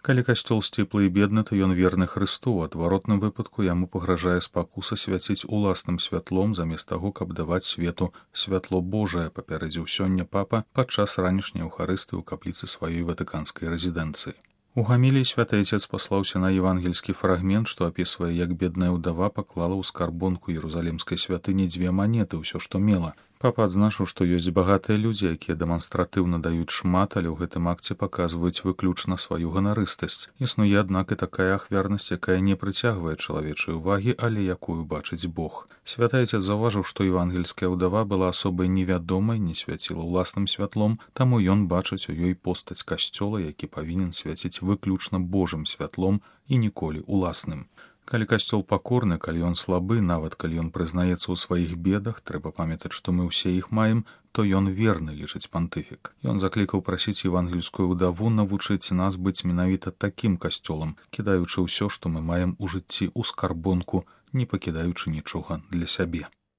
Калі касцёл сціплы і бедны, то ён верны Хрысту, у адваротным выпадку яму пагражае спакуса свяціць уласным святлом замест таго, каб даваць свету святло Божае, папярэдзіў сёння папа падчас ранішняй еўхарыстыі ў капліцы сваёй ватыканскай рэзідэнцыі. У гаміліі святы Айцец паслаўся на евангельскі фрагмент, што апісвае, як бедная ўдава паклала ў скарбонку Ерусалімскай святыні 2 манеты, ўсё, што мела. Папа адзначыў, што ёсць багатыя людзі, якія дэманстратыўна даюць шмат, але ў гэтым акце паказваюць выключна сваю ганарыстасць. Існуе, аднак, і такая ахвярнасць, якая не прыцягвае чалавечай увагі, але якую бачыць Бог. Святы Айцец заўважыў, што евангельская ўдава была асобай невядомай, не свяціла ўласным святлом, таму ён бачыць у ёй постаць касцёла, які павінен свяціць выключна Божым святлом і ніколі уласным. Калі касцёл пакорны, калі ён слабы, нават калі ён прызнаецца ў сваіх бедах, трэба памятаць, што мы ўсе іх маем, то ён верны, лічыць пантыфік. Ён заклікаў прасіць евангельскую ўдаву навучыць нас быць менавіта такім касцёлам, кідаючы ўсё, што мы маем у жыцці ў скарбонку, не пакідаючы нічога для сябе.